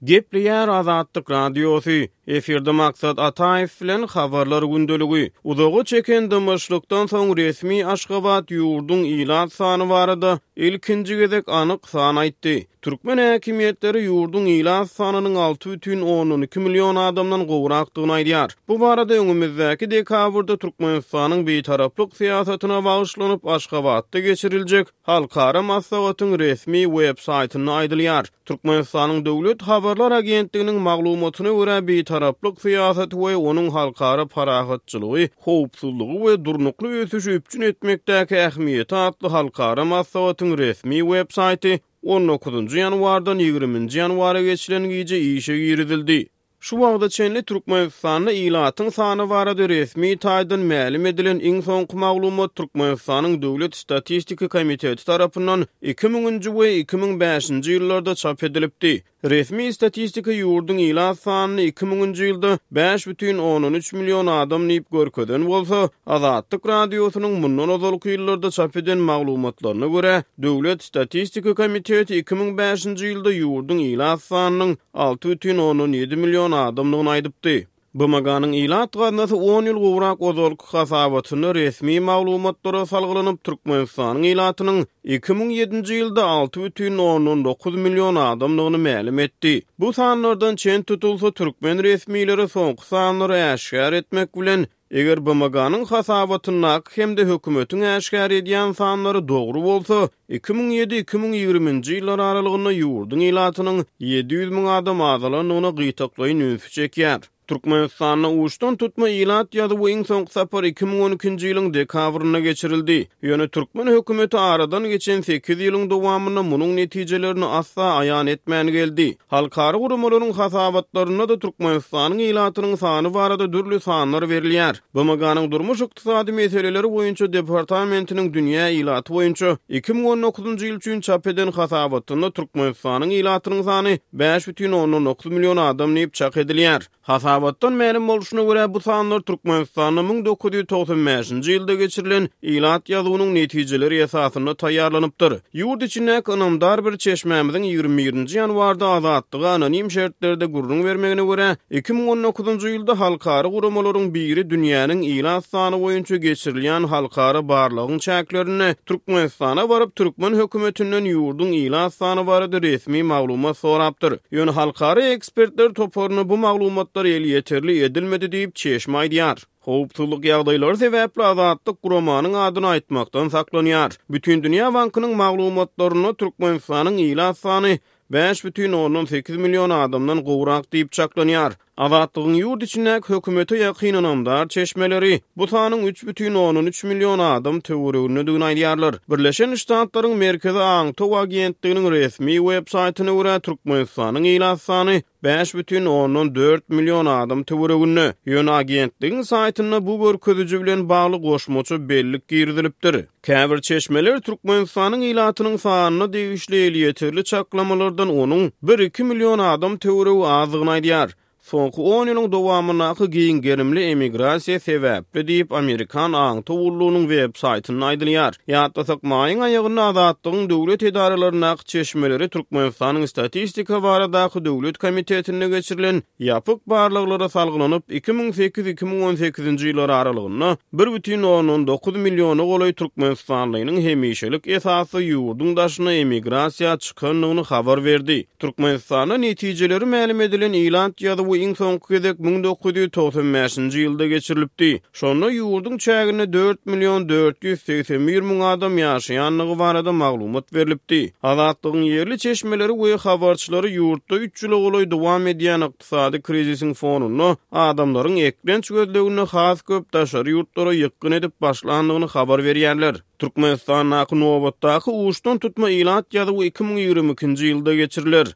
Gepleýär Azatlyk Radiosy, efirde Maksat Ataýew bilen Habarlar gündeligi. Uzaga çeken dymyşlykdan soň resmi Aşgabat ýurduň ilat sany barada ilkinji gezek anyk san aýtdy. Türkmen häkimiýetleri ýurduň ilat sanynyň 6,2 million adamdan gowrakdygyny aýdýar. Bu barada öňümizdäki dekabrda Türkmenistanyň Bitaraplyk syýasatyna bagyşlanyp Aşgabatda geçiriljek halkara maslahatyň resmi web saýtynda aýdylýar. Türkmenistanyň Döwlet habarlar agentliginiň maglumatyna görä, bitaraplyk syýasaty we onuň halkara parahatçylygy, howpsuzlygy we durnukly ösüşi üpjün etmekdäki ähmiýeti atly halkara maslahatyň resmi web saýty on dokuzynjy ýanwardan ýigriminji ýanwara geçilen gije işe girizildi. Şu wagta çenli Türkmenistanda ilatyň sany barada resmi taýdan mälim edilen iň soňky maglumat Türkmenistanyň Döwlet statistika komiteti tarapyndan 2000-nji we 2005-nji ýyllarda çap edilipdi. Resmi statistika ýurduň ilat sanyny 2000-nji ýylda 5,3 million adam diýip görkezen bolsa, Azatlyk Radiosynyň mundan ozalky ýyllarda çap eden maglumatlaryna görä, Döwlet statistika komiteti 2005-nji ýylda ýurduň ilat sanynyň 6,7 million adamdygyny aýdypdy. BMG-niň Ilat gaznasy on ýyl gowrak ozalky hasabatynda resmi maglumatlara salgylanyp, Türkmenistanyň ilatynyň 2007-nji ýylda 6,9 million adamdygyny mälim etdi. Bu sanlardan çen tutulsa, türkmen resmileri soňky sanlary äşgär etmek bilen, Eger BMG-niň hasabatyndaky hem-de hökümetiň äşgär edýän sanlary dogry bolsa, 2007, 2020-nji ýyllar aralygynda ýurduň ilatynyň 700 müň adam azalandygyna gytaklaýyn ünsi çekýär. Türkmenistanda uçdan tutma ilat ýazuwy iň soňky sapar 2012-nji ýylyň dekabrynda geçirildi. Ýöne türkmen hökümeti aradan geçen sekiz ýylyň dowamynda munuň netijelerini asla aýan etmän geldi. Halkara guramalaryň hasabatlarynda-da Türkmenistanyň ilatynyň sany barada dürli sanlar berilýär. BMG-niň Durmuş-ykdysady meseleleri boýunça departamentiniň dünýä ilaty boýunça 2019-njy ýyl üçin çap eden hasabatynda Türkmenistanyň ilatynyň sany 5,9 million adam diýip çak edilýär. Hasabatdan mälim bolşuna görä, bu sanlar Türkmenistanda 1995-nji ýylda geçirilen ilat ýazuwynyň netijeleri esasynda taýýarlanypdyr. Ýurt içindäki ynamdar bir çeşmämiziň 21-nji ýanwarda Azatlyga anonim şertlerde gürrüň bermegine görä, 2019-njy ýylda halkara guramalaryň biri dünýäniň ilat sany boýunça geçirilýän halkara barlagyň çäklerinde Türkmenistana baryp, türkmen hökümetinden ýurduň ilat sany barada resmi maglumat sorapdyr. Ýöne halkara ekspertler toparyna bu maglumatlar elýeterli edilmedi diýip, çeşme aýdýar. Howpsuzlyk ýagdaýlary sebäpli Azatlyk guramanyň adyny aýtmakdan saklanýar. Bütindünýä bankynyň maglumatlarynda Türkmenistanyň ilat sany 5,8 million adamdan gowrak diýip çaklanýar. Azatlygyň ýurt içindäki hökümete ýakyn ynamdar çeşmeleri bu sanyň 3,3 million adam töweregindedigini aýdýarlar. Birleşen Ştatlaryň Merkezi aňtaw agentliginiň resmi web saýtyna görä, Türkmenistanyň ilat sany 5,4 million adam töwereginde. Ýöne agentligiň saýtynda bu görkeziji bilen bagly goşmaça bellik girizilipdir. Käbir çeşmeler Türkmenistanyň ilatynyň sanyna degişli elýeterli çaklamalardan onuň bir-iki million adam töweregi azdygyny aýdýar. Soňky on ýylyň dowamyndaky giň gerimli emigrasiýa sebäpli diýip, amerikan aňtaw gullugynyň web saýtynda aýdylýar. Ýatlasak, maýyň aýagynda Azatlygyň döwlet edaralaryndaky çeşmeleri Türkmenistanyň Statistika baradaky döwlet komitetinde geçirilen Ýapyk barlaglara salgylanyp, 2008, 2018-nji ýyllar aralygynda 1,9 milliona golaý türkmenistanlynyň hemişelik esasda ýurduň daşyna emigrasiýa çykandygyny habar berdi. Türkmenistanda netijeleri mälim edilen ilat ýazuwy iň soňky gezek 1995-nji ýylda geçirilipdi. Şonda ýurduň çäginde 4 million 481 müň adam ýaşaýandygy barada maglumat berlipdi. Azatlygyň ýerli çeşmeleri we habarçylary ýurtda üç ýyla golaý dowam edýän ykdysady krizisiň fonunda adamlaryň eklenç gözleginde has köp daşary ýurtlara ýykgyn edip başlandygyny habar berýärler. Türkmenistandaky nobatdaky uçdan tutma ilat ýazuwy 2022-nji ýylda geçiriler.